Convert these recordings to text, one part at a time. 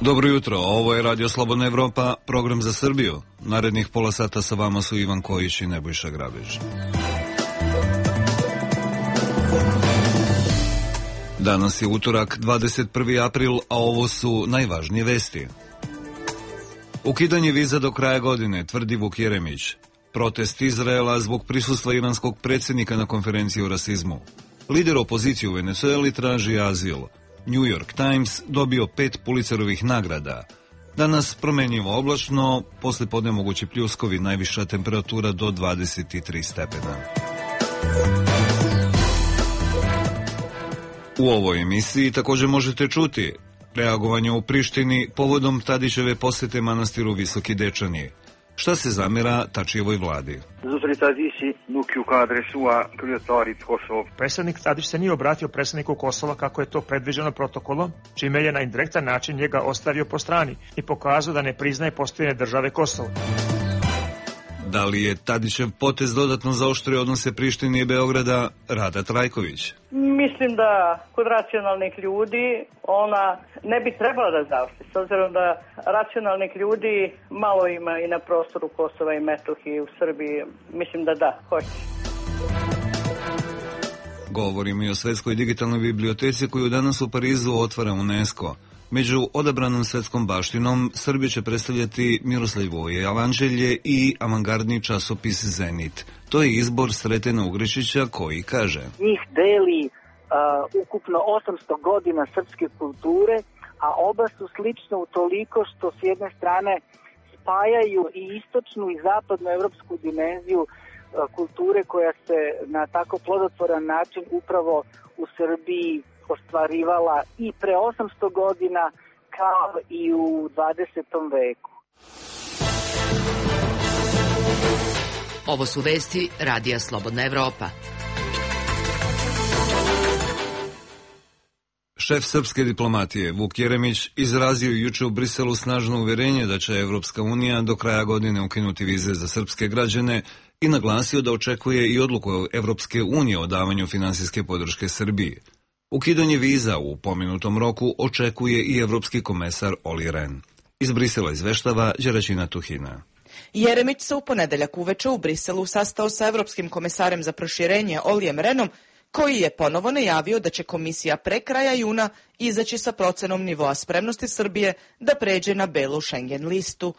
Dobro jutro, ovo je Radio Slobodna Evropa, program za Srbiju. Narednih pola sata sa vama su Ivan Kojić i Nebojša Grabež. Danas je utorak, 21. april, a ovo su najvažnije vesti. Ukidanje viza do kraja godine, tvrdi Vuk Jeremić. Protest Izraela zbog prisustva iranskog predsjednika na konferenciji o rasizmu. Lider opozicije u Venezueli traži azil. New York Times dobio 5 Pulitzerovih nagrada. Danas promenjivo oblačno, posle podne mogući pljuskovi, najviša temperatura do 23 stepena. U ovoj emisiji također možete čuti reagovanje u Prištini povodom Tadićeve posete manastiru Visoki Dečani. Šta se zamjera Tačijevoj vladi? Predstavnik Tadić se nije obratio predstavniku Kosova kako je to predviđeno protokolom, čime je na indirektan način njega ostavio po strani i pokazao da ne priznaje postojanje države Kosovo. Da li je Tadićev potez dodatno zaoštrio odnose Prištine i Beograda? Rada Trajković. Mislim da kod racionalnih ljudi ona ne bi trebala da zaoštri, s obzirom da racionalnih ljudi malo ima i na prostoru Kosova i Metohije u Srbiji. Mislim da hoće. Govorimo i o Svetskoj digitalnoj biblioteci koju danas u Parizu otvara UNESCO. Među odabranom svetskom baštinom Srbiju će predstavljati Miroslavljevo jevanđelje i avangardni časopis Zenit. To je izbor Sretena Ugrešića koji kaže: njih deli ukupno 800 godina srpske kulture, a oba su slične u toliko što s jedne strane spajaju i istočnu i zapadnu evropsku dimenziju kulture koja se na tako plodotvoran način upravo u Srbiji ostvarivala i pre 800 godina kao i u 20. veku. Ovo su vesti Radija Slobodna Evropa. Šef srpske diplomatije Vuk Jeremić izrazio juče u Briselu snažno uverenje da će Evropska unija do kraja godine ukinuti vize za srpske građane i naglasio da očekuje i odluku Evropske unije o davanju finansijske podrške Srbiji. Ukidanje viza u pomenutom roku očekuje i evropski komesar Olli Rehn. Iz Brisela izveštava Đeraćina Tuhina. Jeremić se u ponedeljak uveče u Briselu sastao sa evropskim komesarem za proširenje Ollijem Rehnom, koji je ponovo najavio da će komisija pre kraja juna izaći sa procenom nivoa spremnosti Srbije da pređe na belu Schengen listu.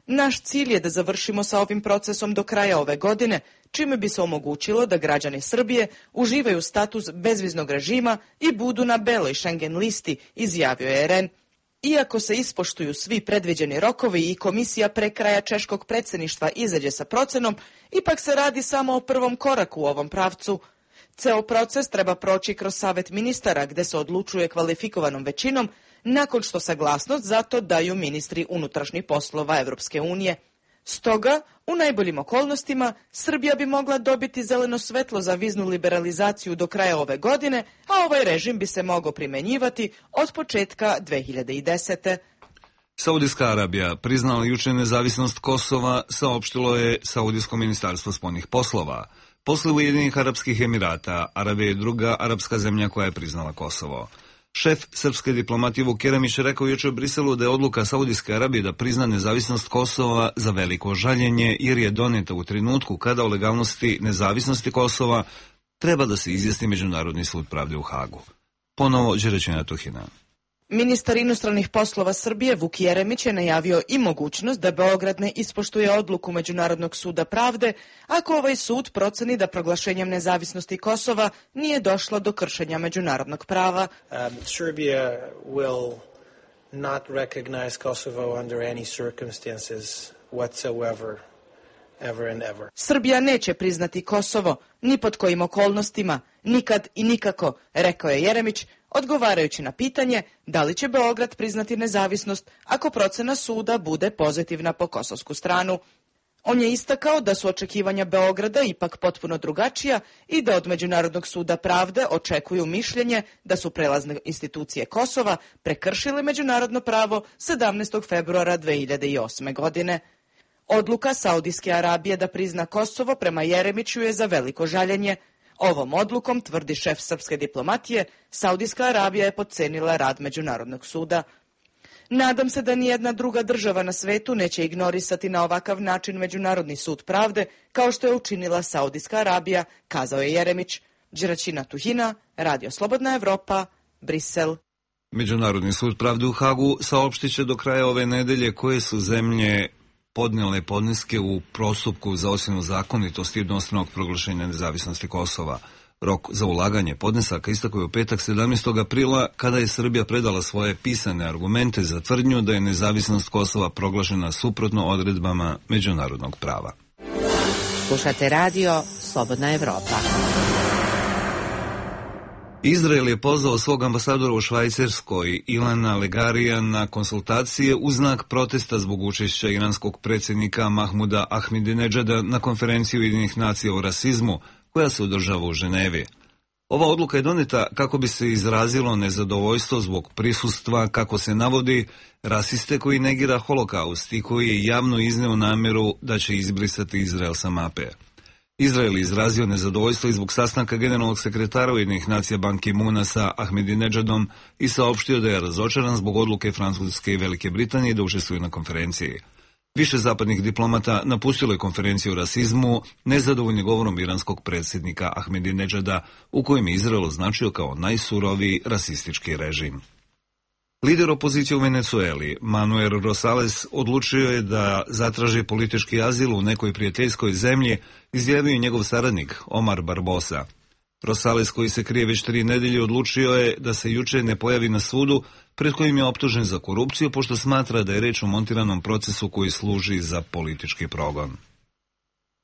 Naš cilj je da završimo sa ovim procesom do kraja ove godine, čime bi se omogućilo da građani Srbije uživaju status bezviznog režima i budu na beloj Schengen listi, izjavio je Rehn. Iako se ispoštuju svi predviđeni rokovi i komisija pre kraja češkog predsjedništva izađe sa procenom, ipak se radi samo o prvom koraku u ovom pravcu. Ceo proces treba proći kroz Savet ministara, gde se odlučuje kvalifikovanom većinom, nakon što saglasnost za to daju ministri unutrašnjih poslova Evropske unije. Stoga, u najboljim okolnostima, Srbija bi mogla dobiti zeleno svetlo za viznu liberalizaciju do kraja ove godine, a ovaj režim bi se mogao primenjivati od početka 2010. Saudijska Arabija priznala juče nezavisnost Kosova, saopštilo je Saudijsko ministarstvo spoljnih poslova. Posle Ujedinjenih Arapskih Emirata, Arabija je druga arapska zemlja koja je priznala Kosovo. Šef srpske diplomatije Vuk Jeremić rekao juče u Briselu da je odluka Saudijske Arabije da prizna nezavisnost Kosova za veliko žaljenje, jer je doneta u trenutku kada o legalnosti nezavisnosti Kosova treba da se izjasni Međunarodni sud pravde u Hagu. Ponovo Đeraćina Tuhina. Ministar inostranih poslova Srbije Vuk Jeremić je najavio i mogućnost da Beograd ne ispoštuje odluku Međunarodnog suda pravde ako ovaj sud proceni da proglašenjem nezavisnosti Kosova nije došlo do kršenja međunarodnog prava. Serbia will not recognize Kosovo under any circumstances whatsoever. Srbija neće priznati Kosovo, ni pod kojim okolnostima, nikad i nikako, rekao je Jeremić, odgovarajući na pitanje da li će Beograd priznati nezavisnost ako procena suda bude pozitivna po kosovsku stranu. On je istakao da su očekivanja Beograda ipak potpuno drugačija i da od Međunarodnog suda pravde očekuju mišljenje da su prelazne institucije Kosova prekršile međunarodno pravo 17. februara 2008. godine. Odluka Saudijske Arabije da prizna Kosovo prema Jeremiću je za veliko žaljenje. Ovom odlukom, tvrdi šef srpske diplomatije, Saudijska Arabija je potcenila rad Međunarodnog suda. Nadam se da nijedna druga država na svetu neće ignorisati na ovakav način Međunarodni sud pravde, kao što je učinila Saudijska Arabija, kazao je Jeremić. Đeraćina Tuhina, Radio Slobodna Evropa, Brisel. Međunarodni sud pravde u Hagu saopštit će do kraja ove nedelje koje su zemlje podnijele podneske u postupku za ocjenu zakonitosti jednostranog proglašenja nezavisnosti Kosova. Rok za ulaganje podnesaka istekao je u petak 17. aprila, kada je Srbija predala svoje pisane argumente za tvrdnju da je nezavisnost Kosova proglašena suprotno odredbama međunarodnog prava. Slušate radio Slobodna Evropa. Izrael je pozvao svog ambasadora u Švajcarskoj, Ilana Legarija, na konsultacije u znak protesta zbog učešća iranskog predsjednika Mahmuda Ahmadinedžada na konferenciji Ujedinjenih nacija o rasizmu, koja se održava u Ženevi. Ova odluka je doneta kako bi se izrazilo nezadovoljstvo zbog prisustva, kako se navodi, rasiste koji negira holokaust i koji je javno izneo namjeru da će izbrisati Izrael sa mape. Izrael je izrazio nezadovoljstvo i zbog sastanka generalnog sekretara Ujedinjenih nacija Ban Ki-moona sa Ahmadinedžadom i saopštio da je razočaran zbog odluke Francuske i Velike Britanije da učestvuju na konferenciji. Više zapadnih diplomata napustilo je konferenciju o rasizmu, nezadovoljni govorom iranskog predsjednika Ahmadinedžada, u kojem je Izrael označio kao najsuroviji rasistički režim. Lider opozicije u Venecueli, Manuel Rosales, odlučio je da zatraži politički azil u nekoj prijateljskoj zemlji, izjavio je njegov saradnik Omar Barbosa. Rosales, koji se krije već 3 nedelje, odlučio je da se juče ne pojavi na sudu, pred kojim je optužen za korupciju, pošto smatra da je reč o montiranom procesu koji služi za politički progon.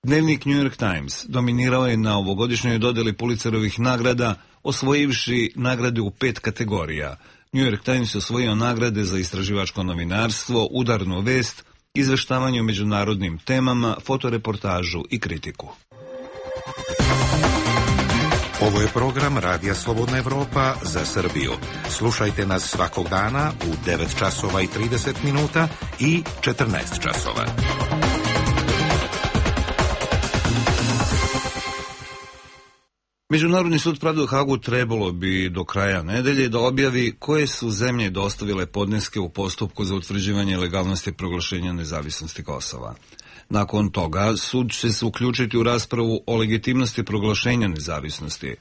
Dnevnik New York Times dominirao je na ovogodišnjoj dodjeli Pulitzerovih nagrada, osvojivši nagrade u 5 kategorija. New York Times je osvojio nagrade za istraživačko novinarstvo, udarnu vest, izveštavanje o međunarodnim temama, fotoreportažu i kritiku. Ovo je program Radija Slobodna Evropa za Srbiju. Slušajte nas svakog dana u 9 časova i 30 minuta i 14 časova. Međunarodni sud pravde u Hagu trebalo bi do kraja nedelje da objavi koje su zemlje dostavile podneske u postupku za utvrđivanje legalnosti proglašenja nezavisnosti Kosova. Nakon toga, sud će se uključiti u raspravu o legitimnosti proglašenja nezavisnosti.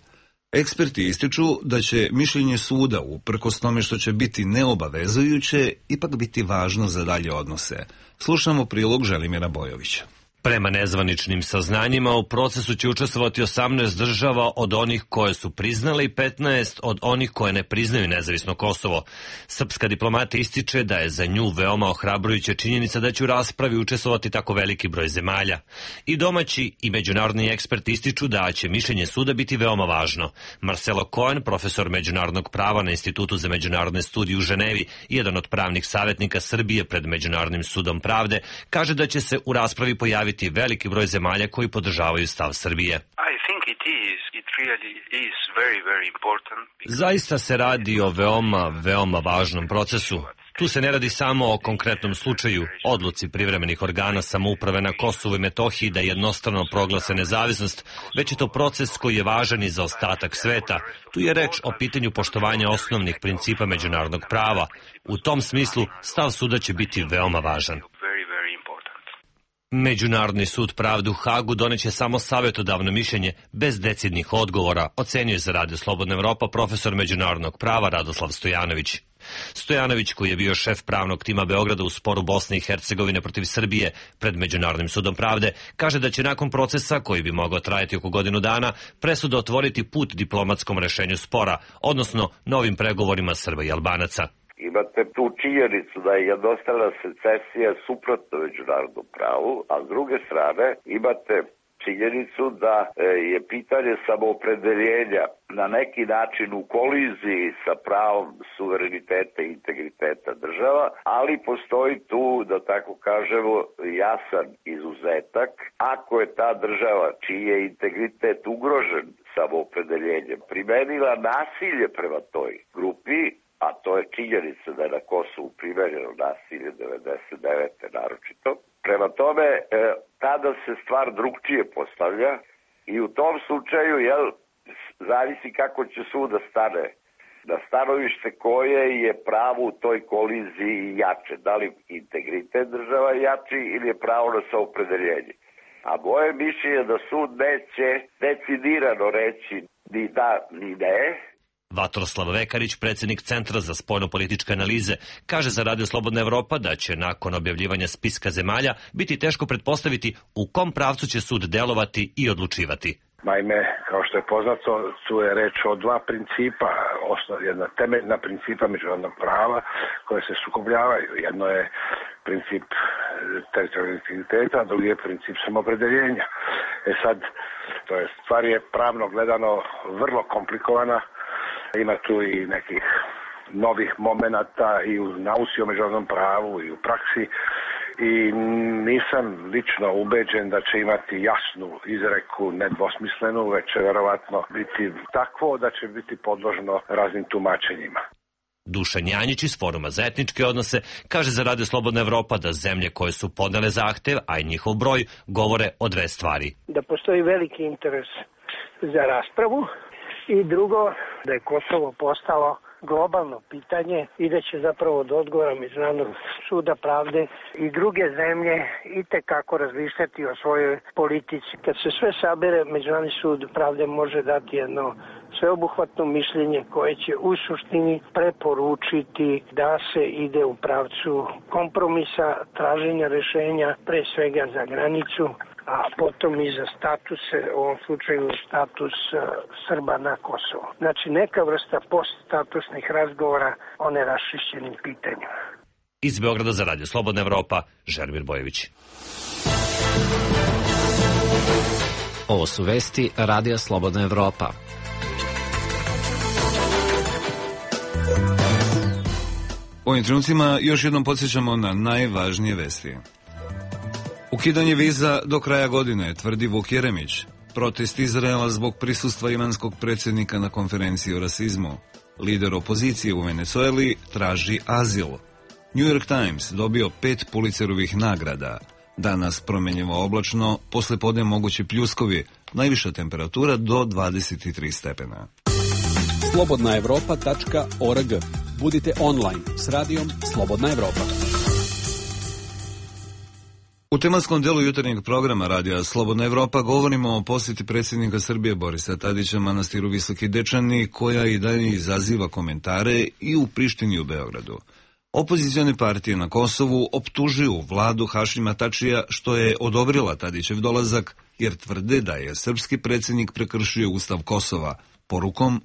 Eksperti ističu da će mišljenje suda, uprkos tome što će biti neobavezujuće, ipak biti važno za dalje odnose. Slušamo prilog Želimira Bojovića. Prema nezvaničnim saznanjima, u procesu će učestvovati 18 država od onih koje su priznale i 15 od onih koje ne priznaju nezavisno Kosovo. Srpska diplomata ističe da je za nju veoma ohrabrujuća činjenica da će u raspravi učestvovati tako veliki broj zemalja. I domaći i međunarodni eksperti ističu da će mišljenje suda biti veoma važno. Marcelo Cohen, profesor međunarodnog prava na Institutu za međunarodne studije u Ženevi i jedan od pravnih savjetnika Srbije pred Međunarodnim sudom pravde, kaže da će se u raspravi pojaviti veliki broj zemalja koji podržavaju stav Srbije. Zaista se radi o veoma važnom procesu. Tu se ne radi samo o konkretnom slučaju, odluci privremenih organa samouprave na Kosovu i Metohiji da jednostrano proglase nezavisnost, već je to proces koji je važan i za ostatak sveta. Tu je reč o pitanju poštovanja osnovnih principa međunarodnog prava. U tom smislu stav suda će biti veoma važan. Međunarodni sud pravde u Hagu doneće samo savjetodavno mišljenje bez decidnih odgovora, ocenjuje za Radio Slobodna Evropa profesor međunarodnog prava Radoslav Stojanović. Stojanović, koji je bio šef pravnog tima Beograda u sporu Bosne i Hercegovine protiv Srbije pred Međunarodnim sudom pravde, kaže da će nakon procesa, koji bi mogao trajati oko godinu dana, presuda otvoriti put diplomatskom rešenju spora, odnosno novim pregovorima Srba i Albanaca. Imate tu činjenicu da je jednostrana secesija suprotno međunarodnom pravu, a s druge strane imate činjenicu da je pitanje samoopredeljenja na neki način u koliziji sa pravom suvereniteta i integriteta država, ali postoji tu, da tako kažemo, jasan izuzetak. Ako je ta država čiji je integritet ugrožen samoopredeljenjem primenila nasilje prema toj grupi, a to je činjenica da je na Kosovu primenjeno nasilje 99. naročito. Prema tome, tada se stvar drugčije postavlja i u tom slučaju zavisi kako će sud da stane. Na stanovište koje je pravo u toj koliziji jače. Da li integritet država jači ili je pravo na samopredeljenje. A moje mišljenje je da sud neće decidirano reći ni da ni ne. Vatroslav Vekarić, predsjednik Centra za spoljno-političke analize, kaže za Radio Slobodna Evropa da će nakon objavljivanja spiska zemalja biti teško pretpostaviti u kom pravcu će sud delovati i odlučivati. Naime, kao što je poznato, tu je reč o dva principa, jedna temeljna principa međunarodnog prava koje se sukobljavaju. Jedno je princip teritorijalnog integriteta, a drugi je princip samoopredeljenja. Sad, to je stvar je pravno gledano vrlo komplikovana. Ima tu i nekih novih momenata i u nauci o međunarodnom pravu i u praksi i nisam lično ubeđen da će imati jasnu izreku, nedvosmislenu, već će verovatno biti takvo da će biti podložno raznim tumačenjima. Dušan Janjić iz Foruma za etničke odnose kaže za Radio Slobodna Evropa da zemlje koje su podnele zahtev, a i njihov broj, govore o dve stvari. Da postoji veliki interes za raspravu i drugo, da je Kosovo postalo globalno pitanje i da će zapravo od odgovora Međunarodnog suda pravde i druge zemlje itekako razmišljati o svojoj politici. Kad se sve sabere, Međunarodni sud pravde može dati jedno sveobuhvatno mišljenje koje će u suštini preporučiti da se ide u pravcu kompromisa, traženja rešenja, pre svega za granicu, a potom i za status, u ovom slučaju status Srba na Kosovo. Znači neka vrsta poststatusnih razgovora o neraščišćenim pitanjima. Iz Beograda za Radio Slobodna Evropa, Želimir Bojević. Ovo su vesti Radija Slobodna Evropa. U ovim trenucima još jednom podsjećamo na najvažnije vesti. Ukidanje viza do kraja godine, tvrdi Vuk Jeremić. Protest Izraela zbog prisustva iranskog predsjednika na konferenciji o rasizmu. Lider opozicije u Venezueli traži azil. New York Times dobio 5 Pulitzerovih nagrada. Danas promenjivo oblačno, poslijepodne mogući pljuskovi, najviša temperatura do 23 stepena. slobodnaevropa.org. Budite online s radijom Slobodna Evropa. U tematskom delu jutarnjeg programa Radija Slobodna Evropa govorimo o posjeti predsjednika Srbije Borisa Tadića manastiru Visoki Dečani, koja i dalje izaziva komentare i u Prištini i u Beogradu. Opozicione partije na Kosovu optužuju vladu Hašima Tačija što je odobrila Tadićev dolazak, jer tvrde da je srpski predsjednik prekršio Ustav Kosova porukom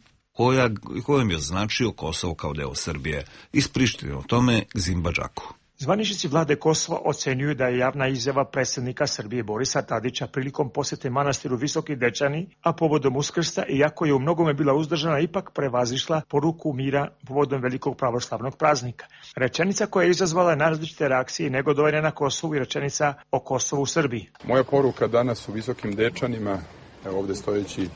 kojom je označio Kosovo kao deo Srbije. Iz Prištine o tome Gzimba Džaku. Zvaničnici vlade Kosova ocenjuju da je javna izjava predsjednika Srbije Borisa Tadića prilikom posjete manastiru Visoki Dečani, a povodom Uskrsa, iako je u mnogome bila uzdržana, ipak prevazišla poruku mira povodom velikog pravoslavnog praznika. Rečenica koja je izazvala različite reakcije i negodovanja na Kosovu i rečenica o Kosovu u Srbiji. Moja poruka danas u Visokim Dečanima, ovdje stojeći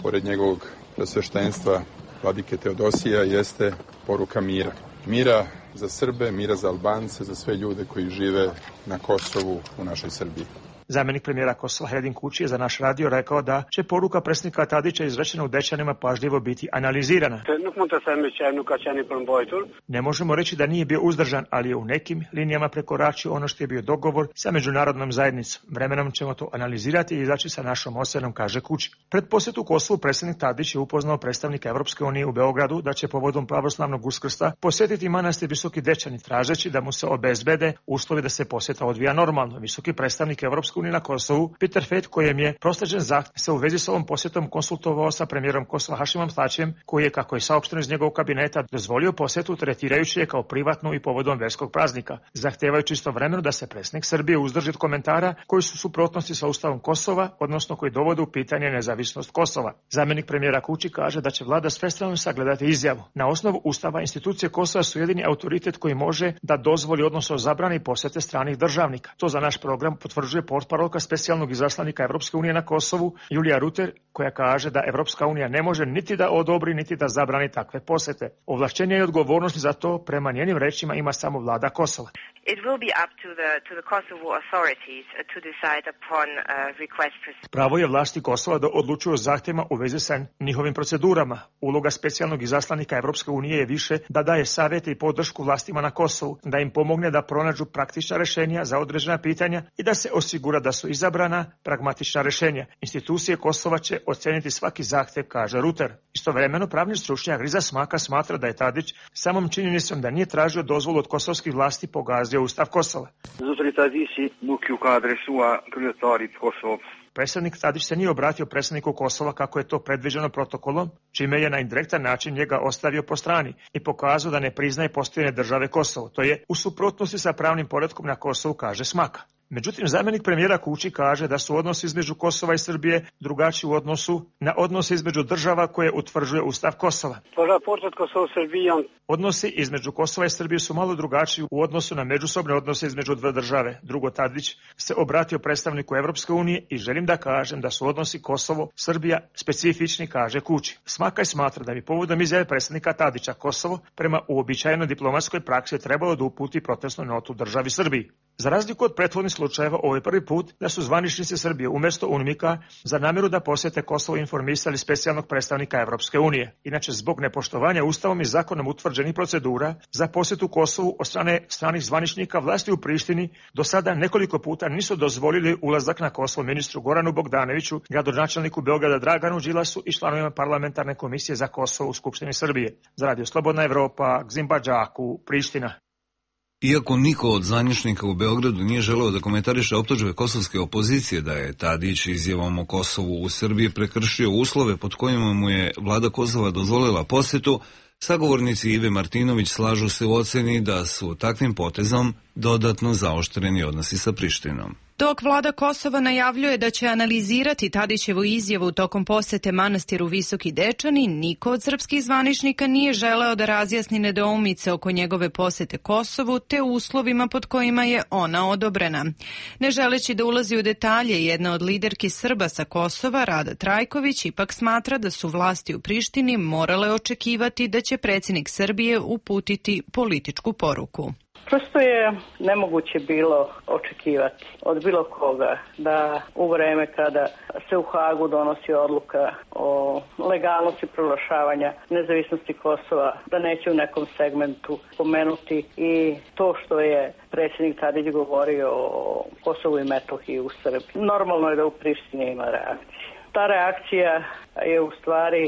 pored njegovog presveštenstva vladike Teodosija, jeste poruka mira. Mira za Srbe, mira za Albance, za sve ljude koji žive na Kosovu u našoj Srbiji. Zamjenik premijera Kosova Hedin Kuči je za naš radio rekao da će poruka predsjednika Tadića izrečena u Dečanima pažljivo biti analizirana. Ne možemo reći da nije bio uzdržan, ali je u nekim linijama prekoračio ono što je bio dogovor sa međunarodnom zajednicom. Vremenom ćemo to analizirati i izaći sa našom ocenom, kaže Kuči. Pred posjetu Kosovu predsjednik Tadić je upoznao predstavnika Evropske unije u Beogradu da će povodom pravoslavnog Uskrsa posjetiti manastir Visoki Dečani, tražeći da mu se obezbede uslovi da se posjeta odvija normalno. Visoki predstavnik Evropske unije na Kosovu, Peter Fet, kojem je prosleđen zahtjev, se u vezi s ovom posjetom konsultovao sa premijerom Kosova Hašimom Tačijem, koji je, kako je saopšteno iz njegovog kabineta, dozvolio posjetu tretirajući je kao privatnu i povodom verskog praznika, zahtevajući istovremeno da se predsjednik Srbije uzdrži od komentara koji su suprotnosti sa Ustavom Kosova, odnosno koji dovode u pitanje nezavisnost Kosova. Zamjenik premijera Kuči kaže da će vlada svestrano sagledati izjavu. Na osnovu Ustava institucije Kosova su jedini autoritet koji može da dozvoli, odnosno zabrani posjete stranih državnika. To za naš program potvrđuje portparolka specijalnog izaslanika Evropske unije na Kosovu, Julija Ruter, koja kaže da Evropska unija ne može niti da odobri, niti da zabrani takve posete. Ovlašćenje i odgovornost za to, prema njenim rečima, ima samo vlada Kosova. It will be up to the Kosovo authorities to decide upon request for... Pravo je vlasti Kosova da odlučuju o zahtjevima u vezi sa njihovim procedurama. Uloga specijalnog izaslanika Evropske unije je više da daje savjete i podršku vlastima na Kosovu, da im pomogne da pronađu praktična rješenja za određena pitanja i da se osigura da su izabrana pragmatična rješenja. Institucije Kosova će oceniti svaki zahtjev, kaže Ruter. Istovremeno pravni stručnjak Riza Smaka smatra da je Tadić samom činjenicom da nije tražio dozvolu od kosovskih vlasti pogazio Ustav Kosova. Predsjednik Tadić se nije obratio predsjedniku Kosova kako je to predviđeno protokolom, čime je na indirektan način njega ostavio po strani i pokazao da ne priznaje postojanje države Kosovo. To je u suprotnosti sa pravnim poretkom na Kosovu, kaže Smaka. Međutim, zamjenik premijera Kuči kaže da su odnosi između Kosova i Srbije drugačiji u odnosu na odnose između država koje utvrđuje Ustav Kosova. Odnosi između Kosova i Srbije su malo drugačiji u odnosu na međusobne odnose između dve države. Drugo, Tadić se obratio predstavniku Evropske unije i želim da kažem da su odnosi Kosovo-Srbija specifični, kaže Kuči. Smakaj smatra da bi povodom izjave predsjednika Tadića Kosovo prema uobičajenoj diplomatskoj praksi trebalo da uputi protestnu notu državi Srbiji. Za razliku od prethodnih slučajeva, ovo je prvi put da su zvaničnici Srbije umjesto UNMIK-a za namjeru da posjete Kosovo informisali specijalnog predstavnika Evropske unije. Inače, zbog nepoštovanja Ustavom i zakonom utvrđenih procedura za posjetu Kosovu od strane stranih zvaničnika, vlasti u Prištini do sada nekoliko puta nisu dozvolili ulazak na Kosovo ministru Goranu Bogdanoviću, gradonačelniku Beograda Draganu Đilasu i članovima parlamentarne komisije za Kosovo u Skupštini Srbije. Za Radio Slobodna Evropa, Gzimba Đaku, Priština. Iako niko od zvaničnika u Beogradu nije želeo da komentariše optužbe kosovske opozicije da je Tadić izjavom o Kosovu u Srbiji prekršio uslove pod kojima mu je vlada Kosova dozvolila posjetu, sagovornici Ive Martinović slažu se u oceni da su takvim potezom dodatno zaoštreni odnosi sa Prištinom. Dok vlada Kosova najavljuje da će analizirati Tadićevu izjavu tokom posete manastiru Visoki Dečani, niko od srpskih zvaničnika nije želeo da razjasni nedoumice oko njegove posete Kosovu te uslovima pod kojima je ona odobrena. Ne želeći da ulazi u detalje, jedna od liderki Srba sa Kosova, Rada Trajković, ipak smatra da su vlasti u Prištini morale očekivati da će predsjednik Srbije uputiti političku poruku. Prosto je nemoguće bilo očekivati od bilo koga da u vreme kada se u Hagu donosi odluka o legalnosti proglašavanja nezavisnosti Kosova, da neće u nekom segmentu pomenuti i to što je predsjednik Tadić govorio o Kosovu i Metohiji u Srbiji. Normalno je da u Prištini ima reakcije. Ta reakcija je u stvari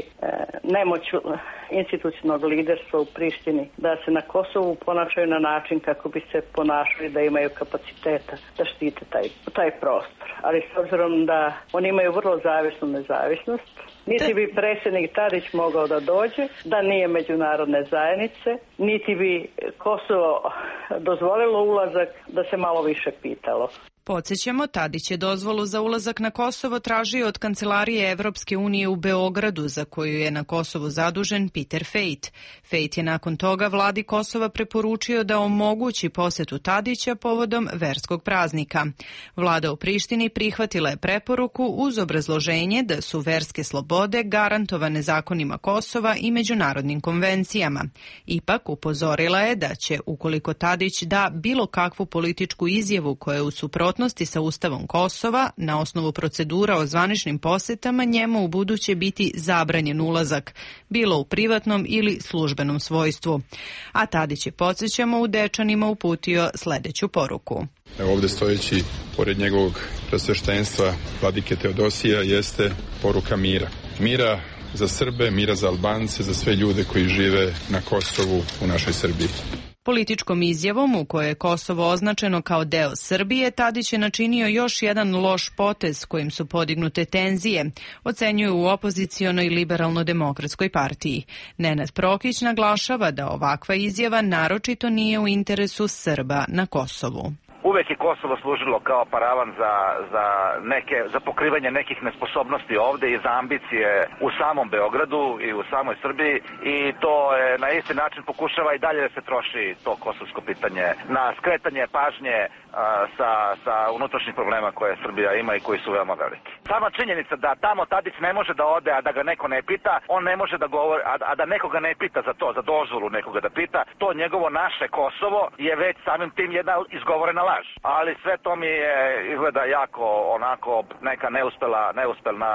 nemoć institucionalnog liderstva u Prištini da se na Kosovu ponašaju na način kako bi se ponašali da imaju kapaciteta da štite taj prostor. Ali s obzirom da oni imaju vrlo zavisnu nezavisnost, niti bi predsjednik Tadić mogao da dođe, da nije međunarodne zajednice, niti bi Kosovo dozvolilo ulazak, da se malo više pitalo. Podsjećamo, Tadić je dozvolu za ulazak na Kosovo tražio od Kancelarije Evropske unije u Beogradu, za koju je na Kosovu zadužen Peter Fejt. Fejt je nakon toga vladi Kosova preporučio da omogući posjetu Tadića povodom verskog praznika. Vlada u Prištini prihvatila je preporuku uz obrazloženje da su verske slobode garantovane zakonima Kosova i međunarodnim konvencijama. Ipak upozorila je da će, ukoliko Tadić da bilo kakvu političku izjavu koja je u suprotnosti sa Ustavom Kosova, na osnovu procedura o zvaničnim posjetama, njemu u buduće biti zabranjen ulazak, bilo u privatnom ili službenom svojstvu. A Tadić je, podsjećamo, u Dečanima uputio sljedeću poruku. Ovdje stojeći pored njegovog presveštenstva vladike Teodosija jeste poruka mira. Mira za Srbe, mira za Albance, za sve ljude koji žive na Kosovu u našoj Srbiji. Političkom izjavom u kojoj je Kosovo označeno kao deo Srbije, Tadić je načinio još jedan loš potez kojim su podignute tenzije, ocenjuju u opozicionoj liberalno-demokratskoj partiji. Nenad Prokić naglašava da ovakva izjava naročito nije u interesu Srba na Kosovu. uvek je Kosovo služilo kao paravan za pokrivanje nekih nesposobnosti ovde i za ambicije u samom Beogradu i u samoj Srbiji i to je na isti način pokušava i dalje da se troši to kosovsko pitanje na skretanje pažnje sa unutrašnjih problema koje Srbija ima i koji su veoma veliki. Sama činjenica da tamo Tadić ne može da ode, a da ga neko ne pita, on ne može da govori, a da nekoga ne pita za to, za dozvolu nekoga da pita, to njegovo naše Kosovo je već samim tim jedna izgovorena laž. Ali sve to mi je izgleda jako onako neka neuspelna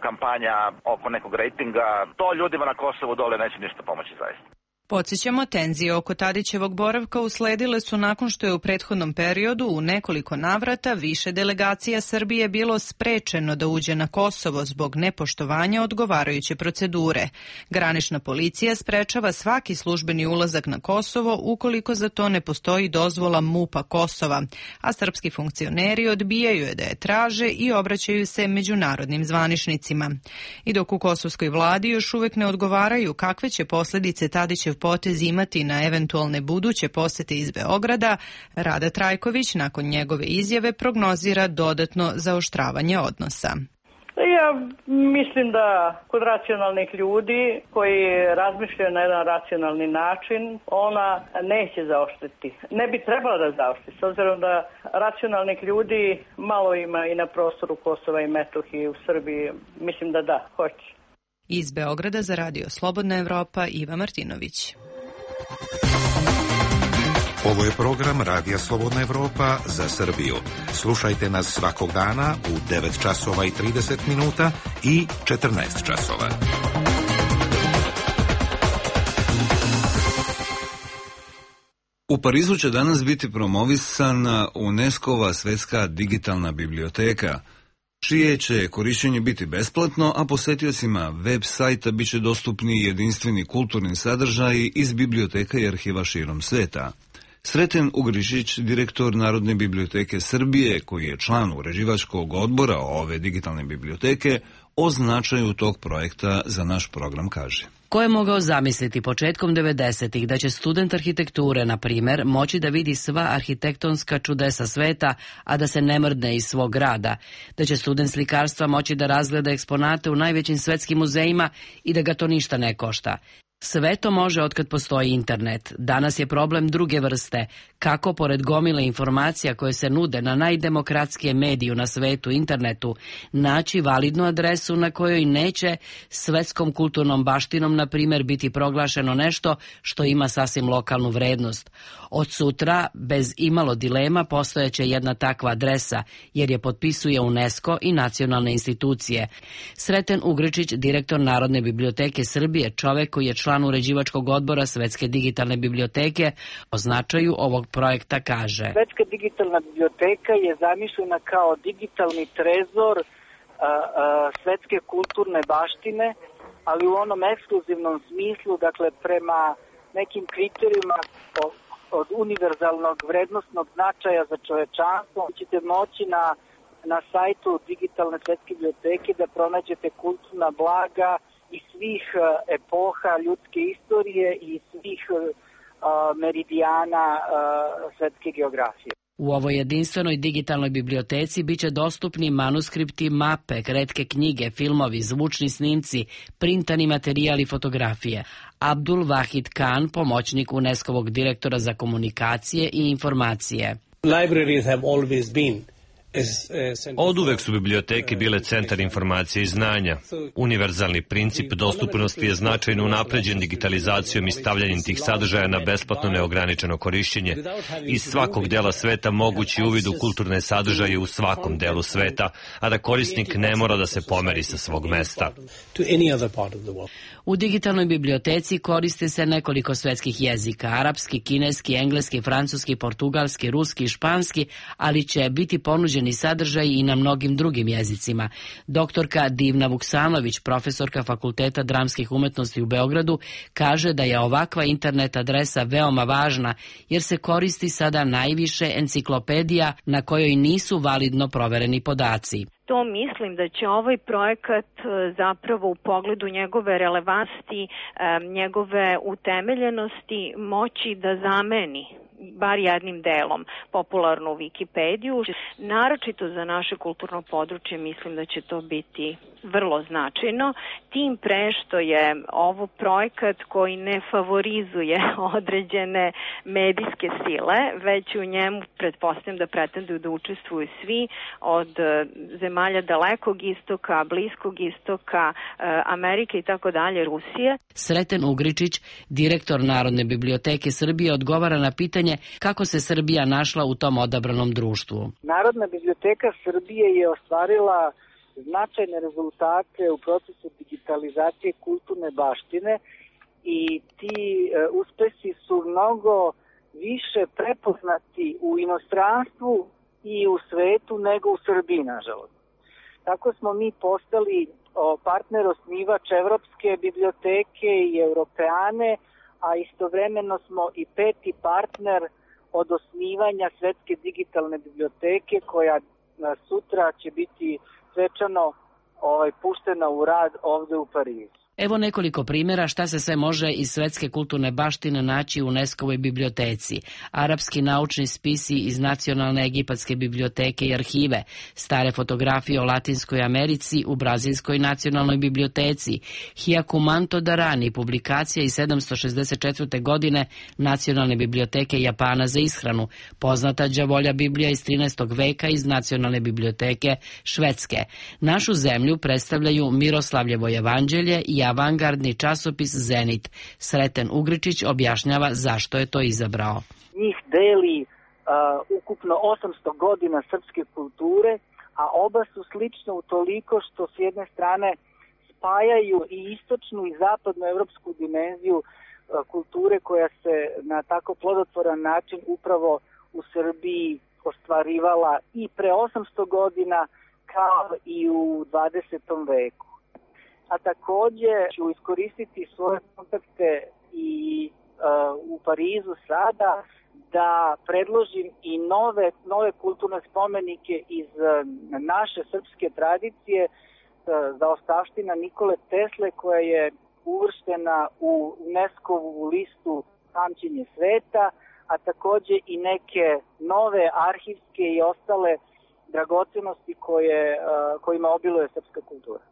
kampanja oko nekog rejtinga. To ljudima na Kosovu dole neće ništa pomoći zaista. Podsjećamo, tenzije oko Tadićevog boravka usledile su nakon što je u prethodnom periodu u nekoliko navrata više delegacija Srbije bilo sprečeno da uđe na Kosovo zbog nepoštovanja odgovarajuće procedure. Granična policija sprečava svaki službeni ulazak na Kosovo ukoliko za to ne postoji dozvola MUP-a Kosova, a srpski funkcioneri odbijaju je da je traže i obraćaju se međunarodnim zvaničnicima. I dok u kosovskoj vladi još uvek ne odgovaraju kakve će posljedice Tadićev potez imati na eventualne buduće posete iz Beograda, Rada Trajković nakon njegove izjave prognozira dodatno zaoštravanje odnosa. Ja mislim da kod racionalnih ljudi koji razmišljaju na jedan racionalni način, ona neće zaoštriti. Ne bi trebala da zaoštri, s obzirom da racionalnih ljudi malo ima i na prostoru Kosova i Metohije u Srbiji. Mislim da hoće. Iz Beograda za Radio Slobodna Evropa, Iva Martinović. Ovo je program Radija Slobodna Evropa za Srbiju. Slušajte nas svakog dana u 9 časova i 30 minuta i 14 časova. U Parizu će danas biti promovisana UNESCO-va svetska digitalna biblioteka, čije će korišćenje biti besplatno, a posetiocima web sajta bit će dostupni jedinstveni kulturni sadržaji iz biblioteka i arhiva širom sveta. Sreten Ugrišić, direktor Narodne biblioteke Srbije, koji je član uređivačkog odbora ove digitalne biblioteke, o značaju tog projekta za naš program kaže. Ko je mogao zamisliti početkom 90-ih da će student arhitekture, na primjer, moći da vidi sva arhitektonska čudesa sveta, a da se ne mrdne iz svog grada, da će student slikarstva moći da razgleda eksponate u najvećim svetskim muzejima i da ga to ništa ne košta. Sve to može otkad postoji internet. Danas je problem druge vrste. Kako, pored gomile informacija koje se nude na najdemokratskije mediju na svetu, internetu, naći validnu adresu na kojoj neće svetskom kulturnom baštinom, na primjer, biti proglašeno nešto što ima sasvim lokalnu vrednost. Od sutra, bez imalo dilema, postojeće jedna takva adresa, jer je potpisuje UNESCO i nacionalne institucije. Sreten Ugričić, direktor Narodne biblioteke Srbije, čovek koji je član uređivačkog odbora Svetske digitalne biblioteke, o značaju ovog projekta kaže. Svetska digitalna biblioteka je zamišljena kao digitalni trezor svetske kulturne baštine, ali u onom ekskluzivnom smislu, dakle prema nekim kriterijima od univerzalnog vrednostnog značaja za čovečanstvo. Ćete moći na sajtu digitalne svetske biblioteke da pronađete kulturna blaga i svih epoha ljudske istorije i svih meridijana svetske geografije. U ovoj jedinstvenoj digitalnoj biblioteci biće dostupni manuskripti, mape, retke knjige, filmovi, zvučni snimci, printani materijal i fotografije. Abdul Wahid Khan, pomoćnik UNESCO-vog direktora za komunikacije i informacije. Libraries have always been Oduvek su biblioteke bile centar informacije i znanja. Univerzalni princip dostupnosti je značajno unapređen digitalizacijom i stavljanjem tih sadržaja na besplatno neograničeno korišćenje. Iz svakog dela sveta mogući uvid u kulturne sadržaje u svakom delu sveta, a da korisnik ne mora da se pomeri sa svog mesta. U digitalnoj biblioteci koriste se nekoliko svetskih jezika, arapski, kineski, engleski, francuski, portugalski, ruski i španski, ali će biti ponuđeni sadržaj i na mnogim drugim jezicima. Doktorka Divna Vuksanović, profesorka Fakulteta dramskih umetnosti u Beogradu, kaže da je ovakva internet adresa veoma važna, jer se koristi sada najviše enciklopedija na kojoj nisu validno provereni podaci. To mislim da će ovaj projekat zapravo u pogledu njegove relevantnosti, njegove utemeljenosti moći da zameni bar jednim delom popularnu Wikipediju. Naročito za naše kulturno područje mislim da će to biti vrlo značajno, tim pre što je ovo projekat koji ne favorizuje određene medijske sile, već u njemu pretpostavljam da pretenduju da učestvuju svi od zemalja Dalekog istoka, Bliskog istoka, Amerike i tako dalje, Rusije. Sreten Ugričić, direktor Narodne biblioteke Srbije, odgovara na pitanje kako se Srbija našla u tom odabranom društvu. Narodna biblioteka Srbije je ostvarila značajne rezultate u procesu digitalizacije kulturne baštine i ti uspesi su mnogo više prepoznati u inostranstvu i u svetu nego u Srbiji, nažalost. Tako smo mi postali partner osnivač Evropske biblioteke i Europeane, a istovremeno smo i peti partner od osnivanja Svetske digitalne biblioteke koja sutra će biti svečano puštena u rad ovde u Parizu. Evo nekoliko primjera šta se sve može iz svetske kulturne baštine naći u UNESCO-voj biblioteci. Arapski naučni spisi iz Nacionalne egipatske biblioteke i arhive, stare fotografije o Latinskoj Americi u Brazilskoj nacionalnoj biblioteci, Hyakumanto Darani, publikacija iz 764. godine Nacionalne biblioteke Japana za ishranu, poznata đavolja Biblija iz 13. veka iz Nacionalne biblioteke Švedske. Našu zemlju predstavljaju Miroslavljevo evanđelje i avangardni časopis Zenit. Sreten Ugričić objašnjava zašto je to izabrao. Njih deli ukupno 800 godina srpske kulture, a oba su slične utoliko što s jedne strane spajaju i istočnu i zapadnu evropsku dimenziju kulture koja se na tako plodotvoran način upravo u Srbiji ostvarivala i pre 800 godina kao i u 20. veku. A takođe ću iskoristiti svoje kontakte i u Parizu sada da predložim i nove kulturne spomenike iz naše srpske tradicije, zaostavština Nikole Tesle koja je uvrštena u UNESCO-vu listu pamćenje sveta, a takođe i neke nove arhivske i ostale dragocenosti kojima obiluje srpska kultura.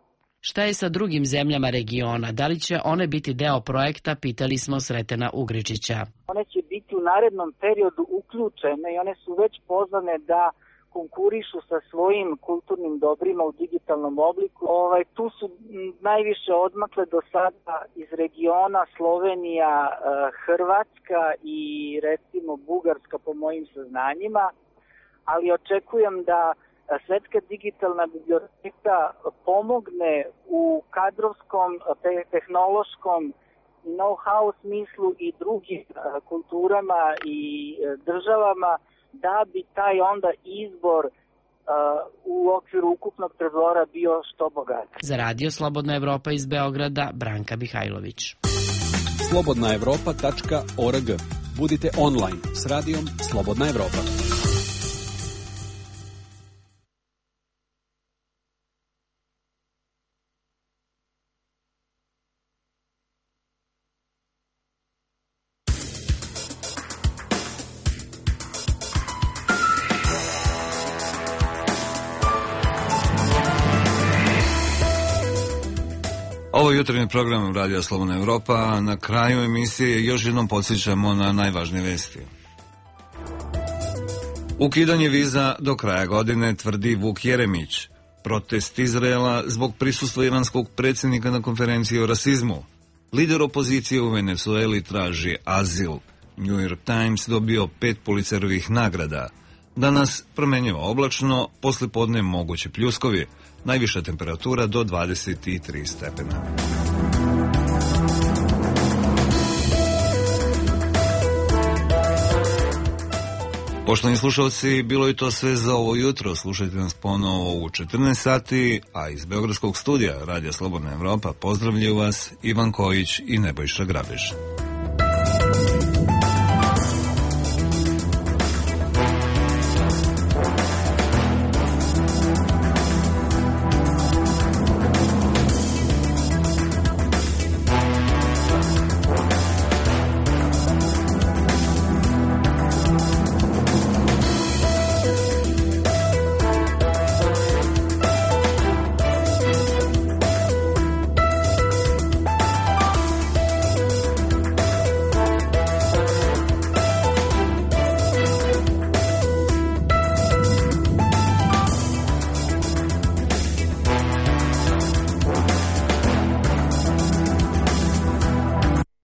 Šta je sa drugim zemljama regiona? Da li će one biti deo projekta, pitali smo Sretena Ugričića. One će biti u narednom periodu uključene i one su već pozvane da konkurišu sa svojim kulturnim dobrima u digitalnom obliku. Tu su najviše odmakle do sada iz regiona Slovenija, Hrvatska i recimo Bugarska po mojim saznanjima, ali očekujem da Svetska digitalna biblioteka pomogne u kadrovskom, tehnološkom know-how smislu i drugim kulturama i državama da bi taj onda izbor u okviru ukupnog trezora bio što bogatiji. Za Radio Slobodna Evropa iz Beograda, Branka Mihajlović. slobodnaevropa.org. Budite online s radijom Slobodna Evropa. Ovo jutarnji program Radija Slobodna Evropa, a na kraju emisije još jednom podsjećamo na najvažnije vesti. Ukidanje viza do kraja godine, tvrdi Vuk Jeremić. Protest Izraela zbog prisustva iranskog predsjednika na konferenciji o rasizmu. Lider opozicije u Venezueli traži azil. New York Times dobio 5 Pulitzerovih nagrada. Danas promenjivo oblačno, poslijepodne moguće pljuskovi. Najviša temperatura do 23 stepena. Poštovani slušalci, bilo je to sve za ovo jutro. Slušajte nas ponovo u 14 sati, a iz Beogradskog studija Radija Slobodna Evropa pozdravljaju vas Ivan Kojić i Nebojša Grabež.